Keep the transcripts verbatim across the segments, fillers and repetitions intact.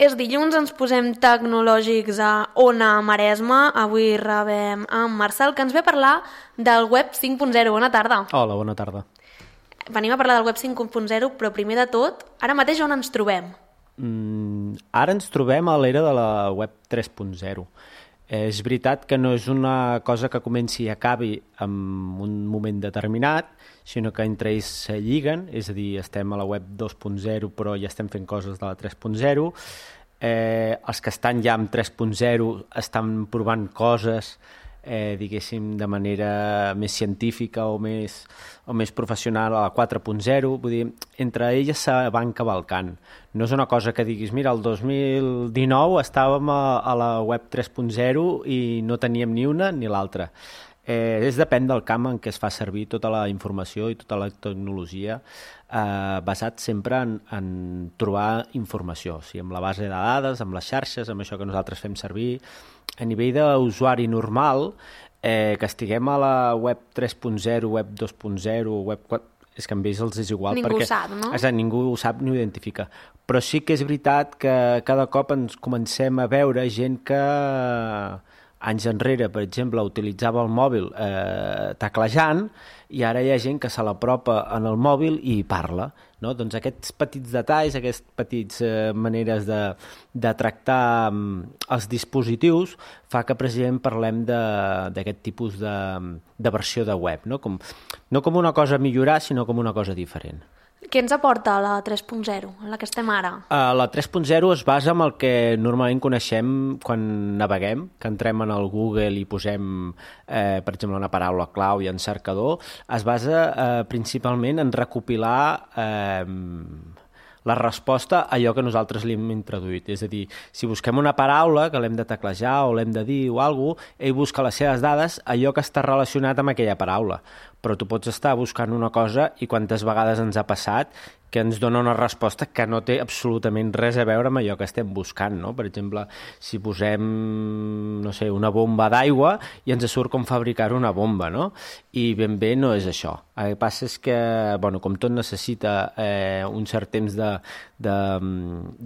És dilluns, ens posem tecnològics a Ona Maresme. Avui rebem en Marcel, que ens ve a parlar del web cinc punt zero. Bona tarda. Hola, bona tarda. Venim a parlar del web cinc punt zero, però primer de tot, ara mateix on ens trobem? Mm, ara ens trobem a l'era de la web tres punt zero. És veritat que no és una cosa que comenci i acabi en un moment determinat, sinó que entre ells se lliguen, és a dir, estem a la web dos punt zero però ja estem fent coses de la tres punt zero. Eh, els que estan ja amb tres punt zero estan provant coses, eh, diguéssim, de manera més científica o més, o més professional a la quatre punt zero. Vull dir, entre elles se van cavalcant. No és una cosa que diguis, mira, el dos mil dinou estàvem a, a la web tres punt zero i no teníem ni una ni l'altra. Eh, és depèn del camp en què es fa servir tota la informació i tota la tecnologia, eh, basat sempre en, en trobar informació, o sigui, amb la base de dades, amb les xarxes, amb això que nosaltres fem servir. A nivell d'usuari normal, eh, que estiguem a la web tres punt zero, web dos punt zero, web quatre, és que amb ells els és igual. Ningú perquè, ho sap, no? Exacte, ningú ho sap ni ho identifica. Però sí que és veritat que cada cop ens comencem a veure gent que anys enrere, per exemple, utilitzava el mòbil eh, teclejant, i ara hi ha gent que se l'apropa en el mòbil i parla, no? Doncs aquests petits detalls, aquestes petites eh, maneres de, de tractar um, els dispositius fa que precisament parlem d'aquest tipus de, de versió de web, no? Com, no com una cosa a millorar, sinó com una cosa diferent. Què ens aporta la tres punt zero, en la que estem ara? Uh, la tres punt zero es basa en el que normalment coneixem quan naveguem, que entrem en el Google i posem, eh, per exemple, una paraula clau i en cercador. Es basa eh, principalment en recopilar eh, la resposta a allò que nosaltres li hem introduït. És a dir, si busquem una paraula que l'hem de teclejar o l'hem de dir o alguna cosa, ell busca les seves dades, allò que està relacionat amb aquella paraula. Però tu pots estar buscant una cosa i quantes vegades ens ha passat que ens dona una resposta que no té absolutament res a veure amb allò que estem buscant, no? Per exemple, si posem, no sé, una bomba d'aigua i ens surt com fabricar una bomba, no? I ben bé no és això. El que passa és que, bueno, com tot necessita eh, un cert temps de, de,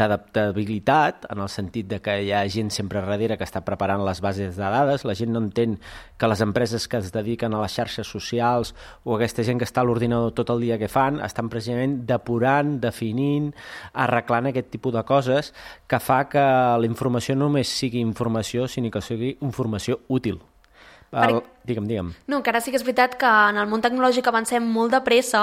d'adaptabilitat, en el sentit de que hi ha gent sempre darrere que està preparant les bases de dades, la gent no entén que les empreses que es dediquen a les xarxes socials o aquesta gent que està a l'ordinador tot el dia que fan, estan precisament depurant, definint, arreglant aquest tipus de coses que fa que la informació no només sigui informació, sinó que sigui informació útil. El... Per... Digue'm, digue'm. No, que ara sí que és veritat que en el món tecnològic avancem molt de pressa,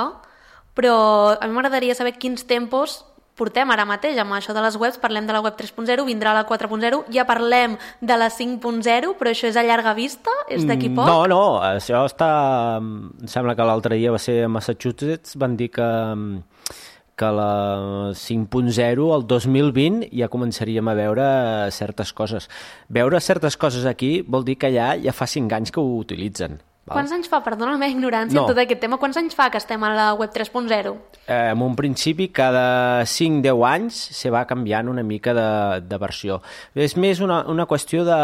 però a mi m'agradaria saber quins tempos portem ara mateix amb això de les webs. Parlem de la web tres punt zero, vindrà la quatre punt zero, ja parlem de la cinc punt zero, però això és a llarga vista? És d'aquí poc? No, no, això està... Em sembla que l'altre dia va ser a Massachusetts, van dir que, que la cinc punt zero, el dos mil vint, ja començaríem a veure certes coses. Veure certes coses aquí vol dir que ja, ja fa cinc anys que ho utilitzen. Quants anys fa, perdona la meva ignorància no. en tot aquest tema, quants anys fa que estem a la web tres punt zero? Eh, en un principi, cada cinc deu anys se va canviant una mica de, de versió. És més una, una qüestió de,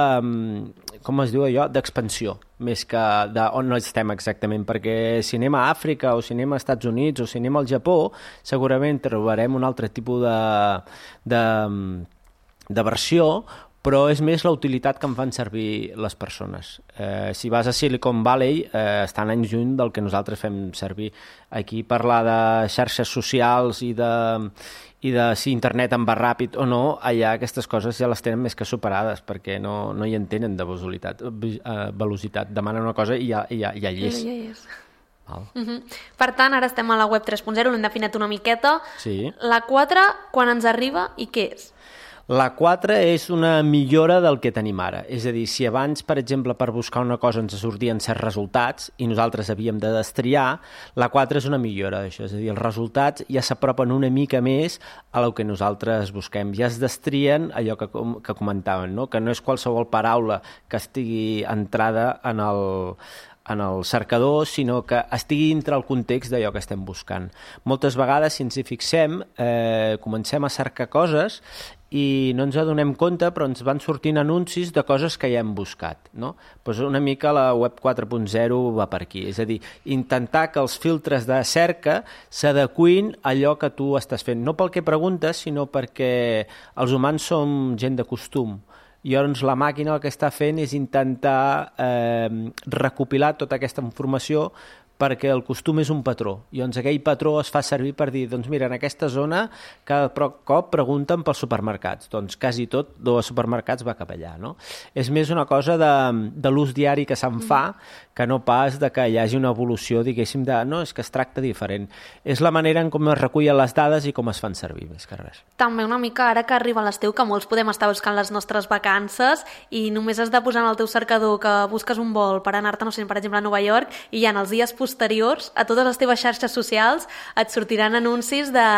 com es diu allò, d'expansió, més que d'on no estem exactament, perquè si anem a Àfrica o si anem als Estats Units o si anem al Japó, segurament trobarem un altre tipus de, de, de versió, però és més la utilitat que en fan servir les persones. Eh, si vas a Silicon Valley, eh, estan anys lluny del que nosaltres fem servir. Aquí parlar de xarxes socials i de, i de si internet en va ràpid o no, allà aquestes coses ja les tenen més que superades, perquè no, no hi entenen de velocitat. velocitat. Demanen una cosa i ja, ja, ja hi és. Ja hi és. Val. Uh-huh. Per tant, ara estem a la web tres punt zero, l'hem definit una miqueta. Sí. La quatre, quan ens arriba i què és? La quatre és una millora del que tenim ara. És a dir, si abans, per exemple, per buscar una cosa ens sortien certs resultats i nosaltres havíem de destriar, la quatre és una millora d'això. És a dir, els resultats ja s'apropen una mica més a el que nosaltres busquem. Ja es destrien allò que, que comentàvem, no? Que no és qualsevol paraula que estigui entrada en el... en el cercador, sinó que estigui dintre el context d'allò que estem buscant. Moltes vegades, si ens hi fixem, eh, comencem a cercar coses i no ens adonem compte, però ens van sortint anuncis de coses que ja hem buscat, no? Pues una mica la web quatre punt zero va per aquí, és a dir, intentar que els filtres de cerca s'adequin a allò que tu estàs fent, no pel que preguntes, sinó perquè els humans som gent de costum. I llavors la màquina el que està fent és intentar eh, recopilar tota aquesta informació perquè el costum és un patró. I llavors aquell patró es fa servir per dir, doncs mira, en aquesta zona cada cop pregunten pels supermercats. Doncs quasi tot dels supermercats va cap allà, no? És més una cosa de, de l'ús diari que se'n fa que no pas de que hi hagi una evolució, diguéssim, de no, és que es tracta diferent. És la manera en com es recullen les dades i com es fan servir, més que res. També una mica ara que arriba l'estiu, que molts podem estar buscant les nostres vacances i només has de posar en el teu cercador que busques un vol per anar-te, no sé, per exemple, a Nova York, i ja en els dies posteriors, a totes les teves xarxes socials, et sortiran anuncis de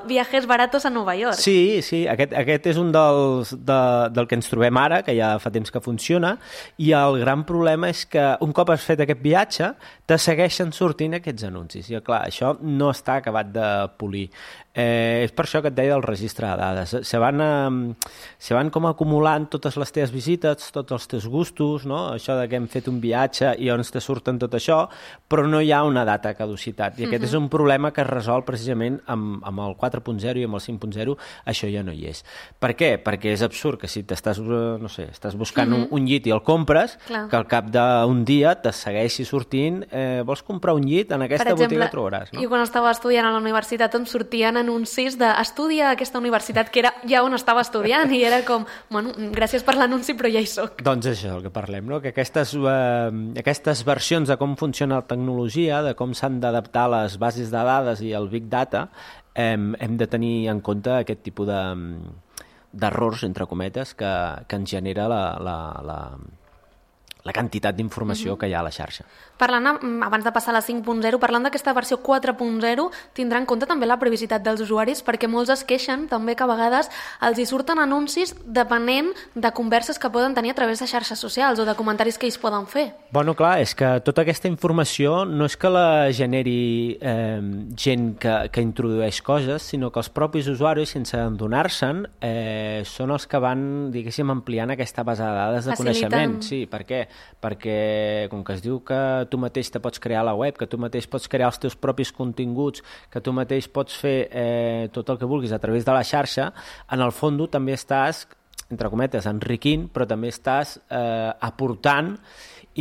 viajes baratos a Nova York. Sí, sí, aquest, aquest és un dels, de, del que ens trobem ara, que ja fa temps que funciona, i el gran problema és que un cop has fet aquest viatge, te segueixen sortint aquests anuncis. I clar, això no està acabat de polir. Eh, és per això que et deia del registre de dades. Se van, eh, se van com acumulant totes les teves visites, tots els teus gustos, no? Això de que hem fet un viatge i on te surten tot això, però no hi ha una data de caducitat. I aquest uh-huh. és un problema que es resol precisament amb, amb el quatre punt zero i amb el cinc punt zero, això ja no hi és. Per què? Perquè és absurd que si t'estàs, no sé, estàs buscant uh-huh. un, un llit i el compres, Clar. que al cap d'un dia te segueixi sortint, eh, vols comprar un llit? En aquesta per exemple, botiga trobaràs. No? I quan estava estudiant a la universitat em sortien anuncis d'estudia a aquesta universitat, que era ja on estava estudiant, i era com, bueno, gràcies per l'anunci, però ja hi soc. Doncs això és el que parlem, no? Que aquestes, eh, aquestes versions de com funciona la tecnologia, de com s'han d'adaptar les bases de dades i el Big Data, eh, hem de tenir en compte aquest tipus de, d'errors, entre cometes, que, que ens genera la, la, la, la quantitat d'informació uh-huh. que hi ha a la xarxa. Parlant, abans de passar a la cinc punt zero, parlant d'aquesta versió quatre punt zero, tindrà en compte també la privacitat dels usuaris, perquè molts es queixen també que a vegades els hi surten anuncis depenent de converses que poden tenir a través de xarxes socials o de comentaris que ells poden fer. Bueno, clar, és que tota aquesta informació no és que la generi eh, gent que, que introdueix coses, sinó que els propis usuaris, sense adonar-se'n, eh, són els que van, diguéssim, ampliant aquesta base de dades de Facilitant. coneixement. Sí, per què? Perquè, com que es diu que tu mateix te pots crear la web, que tu mateix pots crear els teus propis continguts, que tu mateix pots fer eh, tot el que vulguis a través de la xarxa, en el fons també estàs, entre cometes, enriquint, però també estàs eh, aportant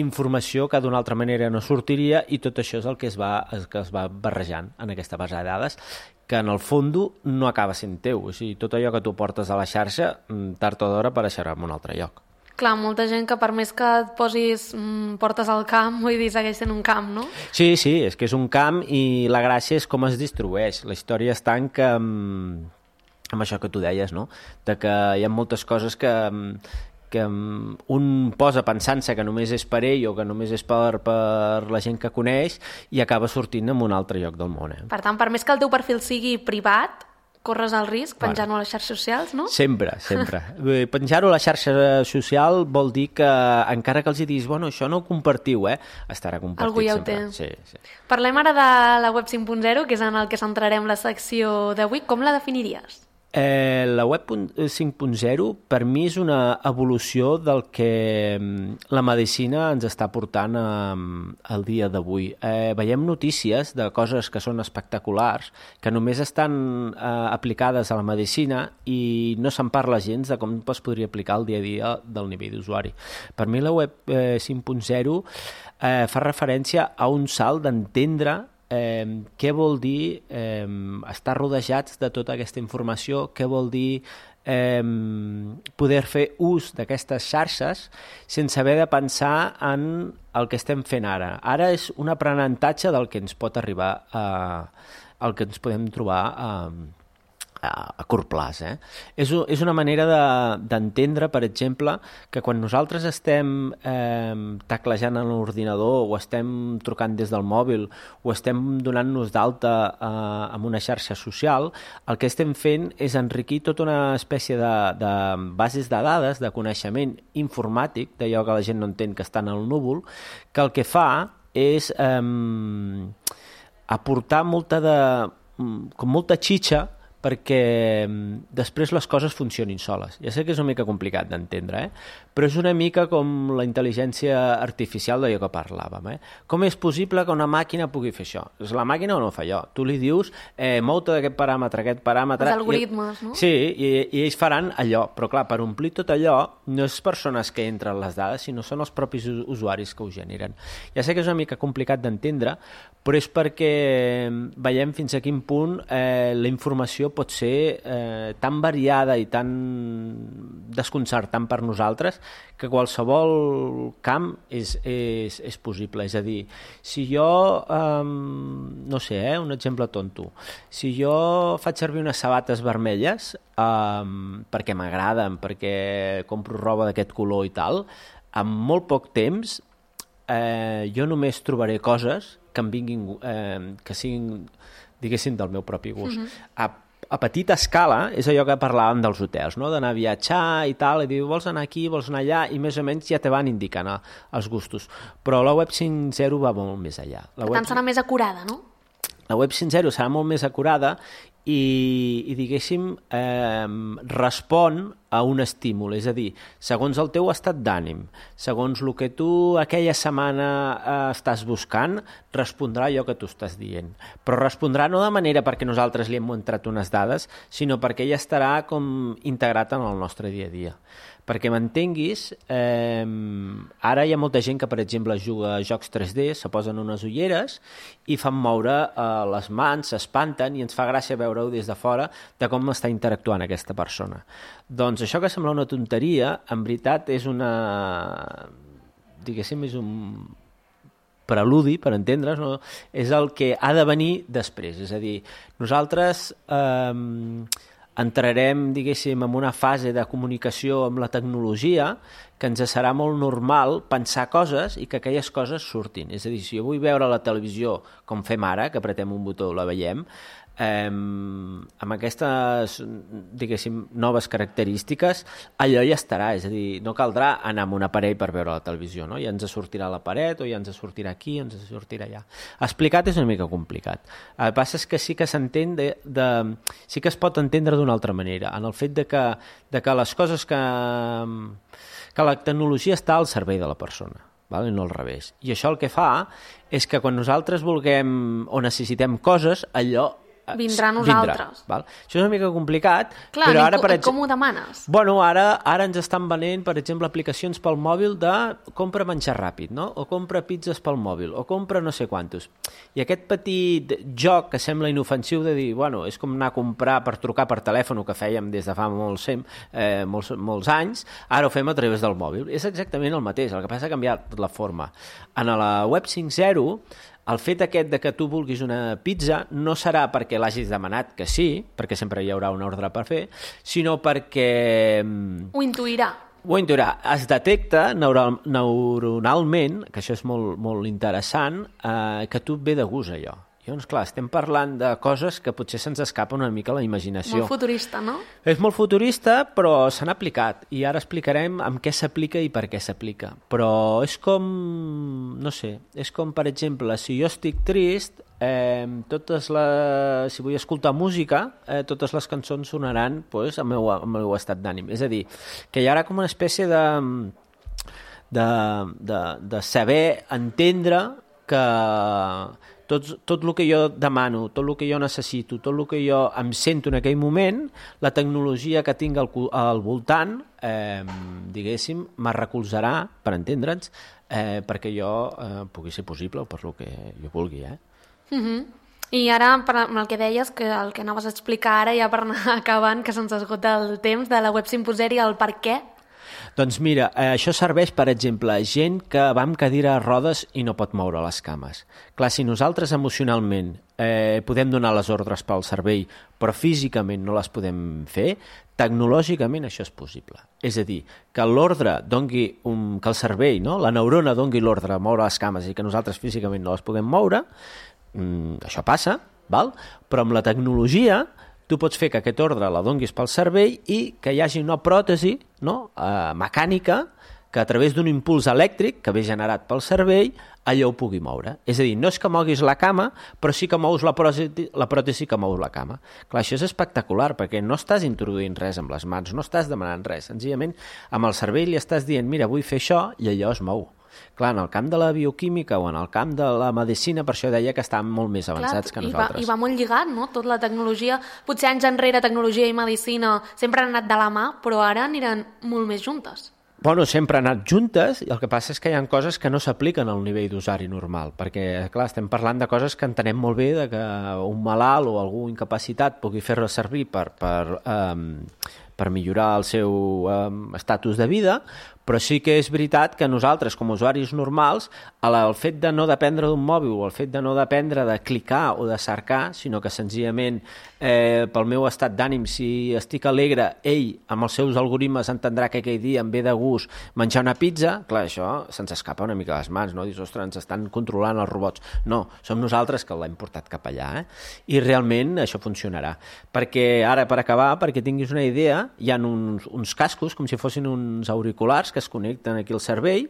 informació que d'una altra manera no sortiria, i tot això és el que es va, el que es va barrejant en aquesta base de dades, que en el fons no acaba sent teu. O sigui, tot allò que tu portes a la xarxa, tard o d'hora apareixerà en un altre lloc. Clar, molta gent que per més que et posis mm, portes al camp, vull dir, segueix sent un camp, no? Sí, sí, és que és un camp i la gràcia és com es distribueix. La història està en que, amb això que tu deies, no? De que hi ha moltes coses que, que un posa pensant-se que només és per ell o que només és per, per la gent que coneix i acaba sortint en un altre lloc del món. Eh? Per tant, per més que el teu perfil sigui privat, corres el risc penjar-ho a les xarxes socials, no? Sempre, sempre. Penjar-ho a la xarxa social vol dir que, encara que els hi diguis, bueno, això no ho compartiu, eh? Estarà compartit Algú ja sempre. Ho té. Sí, sí. Parlem ara de la web cinc punt zero, que és en el que centrarem la secció d'avui. Com la definiries? Eh, la web cinc punt zero per mi és una evolució del que la medicina ens està portant al dia d'avui. Eh, veiem notícies de coses que són espectaculars, que només estan eh, aplicades a la medicina i no se'n parla gens de com es podria aplicar el dia a dia del nivell d'usuari. Per mi la web eh, cinc punt zero eh, fa referència a un salt d'entendre Eh, què vol dir eh, estar rodejats de tota aquesta informació, què vol dir eh, poder fer ús d'aquestes xarxes sense haver de pensar en el que estem fent ara. Ara és un aprenentatge del que ens pot arribar a, el que ens podem trobar a, a curt plaç. Eh? És, és una manera d'entendre, de, per exemple, que quan nosaltres estem eh, teclejant en l'ordinador o estem trucant des del mòbil o estem donant-nos d'alta eh, en una xarxa social, el que estem fent és enriquir tota una espècie de, de bases de dades, de coneixement informàtic, d'allò que la gent no entén que està en el núvol, que el que fa és eh, aportar molta de, com molta xitxa perquè després les coses funcionin soles. Ja sé que és una mica complicat d'entendre, eh? Però és una mica com la intel·ligència artificial d'allò que parlàvem. Eh? Com és possible que una màquina pugui fer això? És la màquina o no fa allò? Tu li dius, eh, mou-te d'aquest paràmetre, aquest paràmetre... Els algoritmes, i, no? Sí, i, i ells faran allò. Però clar, per omplir tot allò, no és persones que entren les dades, sinó són els propis usuaris que ho generen. Ja sé que és una mica complicat d'entendre, però és perquè veiem fins a quin punt eh, la informació pot ser eh, tan variada i tan desconcertant per nosaltres que qualsevol camp és, és, és possible. És a dir, si jo, eh, no sé, eh, un exemple tonto, si jo faig servir unes sabates vermelles eh, perquè m'agraden, perquè compro roba d'aquest color i tal, en molt poc temps eh, jo només trobaré coses que em vinguin, eh, que siguin, diguéssim, del meu propi gust. Uh-huh. A, a petita escala és allò que parlàvem dels hotels, no? D'anar a viatjar i tal, i dir, vols anar aquí, vols anar allà, i més o menys ja te van indicant els gustos. Però la web cinc punt zero va molt més allà. La per web... tant, serà més acurada, no? La web cinc punt zero serà molt més acurada i, i diguéssim, eh, respon a un estímul, és a dir, segons el teu estat d'ànim, segons el que tu aquella setmana eh, estàs buscant, respondrà allò que tu estàs dient. Però respondrà no de manera perquè nosaltres li hem entrat unes dades, sinó perquè ella estarà com integrat en el nostre dia a dia. Perquè m'entenguis, eh, ara hi ha molta gent que, per exemple, juga a jocs tres D, se posen unes ulleres i fan moure eh, les mans, s'espanten i ens fa gràcia veure-ho des de fora de com està interactuant aquesta persona. Doncs això que sembla una tonteria, en veritat és una... diguéssim, és un preludi, per entendre's, no? És el que ha de venir després. És a dir, nosaltres... Eh, entrarem, diguéssim, en una fase de comunicació amb la tecnologia que ens serà molt normal pensar coses i que aquelles coses surtin. És a dir, si jo vull veure la televisió com fem ara, que apretem un botó i la veiem, eh, amb aquestes, diguéssim, noves característiques, allò ja estarà. És a dir, no caldrà anar amb un aparell per veure la televisió, no? Ja ens sortirà la paret o ja ens sortirà aquí o ens sortirà allà. Explicat és una mica complicat. El que passa és que sí que s'entén de, de, sí que es pot entendre d'una altra manera, en el fet de que, de que les coses que, que la tecnologia està al servei de la persona, val? I no al revés. I això el que fa és que quan nosaltres vulguem o necessitem coses, allò vindrà a nosaltres. Vindrà, val? Això és una mica complicat, clar, però ara... Com, per exemple, com ho demanes? Bueno, ara, ara ens estan venent, per exemple, aplicacions pel mòbil de compra menjar ràpid, no? O compra pizzas pel mòbil, o compra no sé quantos. I aquest petit joc que sembla inofensiu de dir, bueno, és com anar a comprar per trucar per telèfon, que fèiem des de fa molts, eh, molts, molts anys, ara ho fem a través del mòbil. És exactament el mateix, el que passa ha canviat la forma. En la web cinc punt zero, el fet aquest de que tu vulguis una pizza no serà perquè l'hagis demanat, que sí, perquè sempre hi haurà un ordre per fer, sinó perquè... Ho intuirà. Ho intuirà. Es detecta neural, neuronalment, que això és molt, molt interessant, eh, que tu et ve de gust allò. Llavors, clar, estem parlant de coses que potser se'ns escapa una mica la imaginació. Molt futurista, no? És molt futurista, però s'han aplicat. I ara explicarem amb què s'aplica i per què s'aplica. Però és com, no sé, és com, per exemple, si jo estic trist, eh, totes les, si vull escoltar música, eh, totes les cançons sonaran pues, al, meu, al meu estat d'ànim. És a dir, que hi haurà com una espècie de, de, de, de saber entendre que... Tot, tot el que jo demano, tot el que jo necessito, tot el que jo em sento en aquell moment, la tecnologia que tinc al, al voltant, eh, diguéssim, me recolzarà, per entendre'ns, eh, perquè jo eh, pugui ser possible o per el que jo vulgui. Eh? Uh-huh. I ara, per el que deies, que el que anaves a explicar ara, ja per anar acabant, que se'ns esgota el temps de la web cinc punt zero i el per què. Doncs mira, eh, això serveix, per exemple, a gent que va amb cadira a rodes i no pot moure les cames. Clar, si nosaltres emocionalment eh, podem donar les ordres pel cervell, però físicament no les podem fer, tecnològicament això és possible. És a dir, que l'ordre dongui un, que el cervell, no? La neurona dongui l'ordre a moure les cames i que nosaltres físicament no les puguem moure, mm, això passa, val? Però amb la tecnologia tu pots fer que aquest ordre la donguis pel cervell i que hi hagi una pròtesi, no? eh, mecànica que a través d'un impuls elèctric que ve generat pel cervell, allò ho pugui moure. És a dir, no és que moguis la cama, però sí que mous la pròtesi, la pròtesi que mou la cama. Clar, això és espectacular, perquè no estàs introduint res amb les mans, no estàs demanant res. Senzillament, amb el cervell li estàs dient, mira, vull fer això, i allò es mou. Clar, en el camp de la bioquímica o en el camp de la medicina, per això deia que estan molt més avançats Clar, que nosaltres. I va, I va molt lligat, no?, tot la tecnologia. Potser anys enrere tecnologia i medicina sempre han anat de la mà, però ara aniran molt més juntes. Bueno, sempre han anat juntes, i el que passa és que hi ha coses que no s'apliquen al nivell d'usari normal, perquè, clar, estem parlant de coses que entenem molt bé, de que un malalt o algú incapacitat pugui fer-la servir per, per, um, per millorar el seu um, estatus de vida, però sí que és veritat que nosaltres, com a usuaris normals, el fet de no dependre d'un mòbil o el fet de no dependre de clicar o de cercar, sinó que senzillament eh, pel meu estat d'ànim, si estic alegre, ell, amb els seus algoritmes, entendrà que aquell dia em ve de gust menjar una pizza, clar, això se'ns escapa una mica a les mans, no? Dius, ostres, ens estan controlant els robots. No, som nosaltres que l'hem portat cap allà, eh? I realment això funcionarà. Perquè ara, per acabar, perquè tinguis una idea, hi ha uns, uns cascos, com si fossin uns auriculars, que es connecten aquí al cervell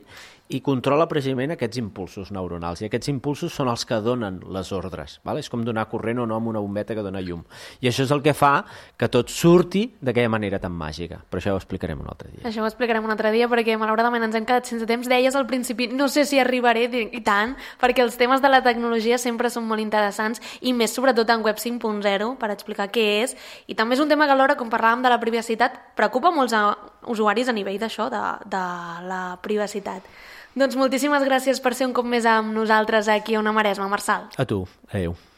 i controla precisament aquests impulsos neuronals. I aquests impulsos són els que donen les ordres. Val? És com donar corrent o no amb una bombeta que dona llum. I això és el que fa que tot surti d'aquella manera tan màgica. Però això ho explicarem un altre dia. Això ho explicarem un altre dia perquè malauradament ens hem quedat sense temps. Deies al principi, no sé si arribaré i tant, perquè els temes de la tecnologia sempre són molt interessants i més sobretot en Web cinc punt zero per explicar què és. I també és un tema que alhora, com parlàvem de la privacitat, preocupa molts usuaris a nivell d'això, de, de la privacitat. Doncs moltíssimes gràcies per ser un cop més amb nosaltres aquí a Ona Maresma, Marçal. A tu, adeu.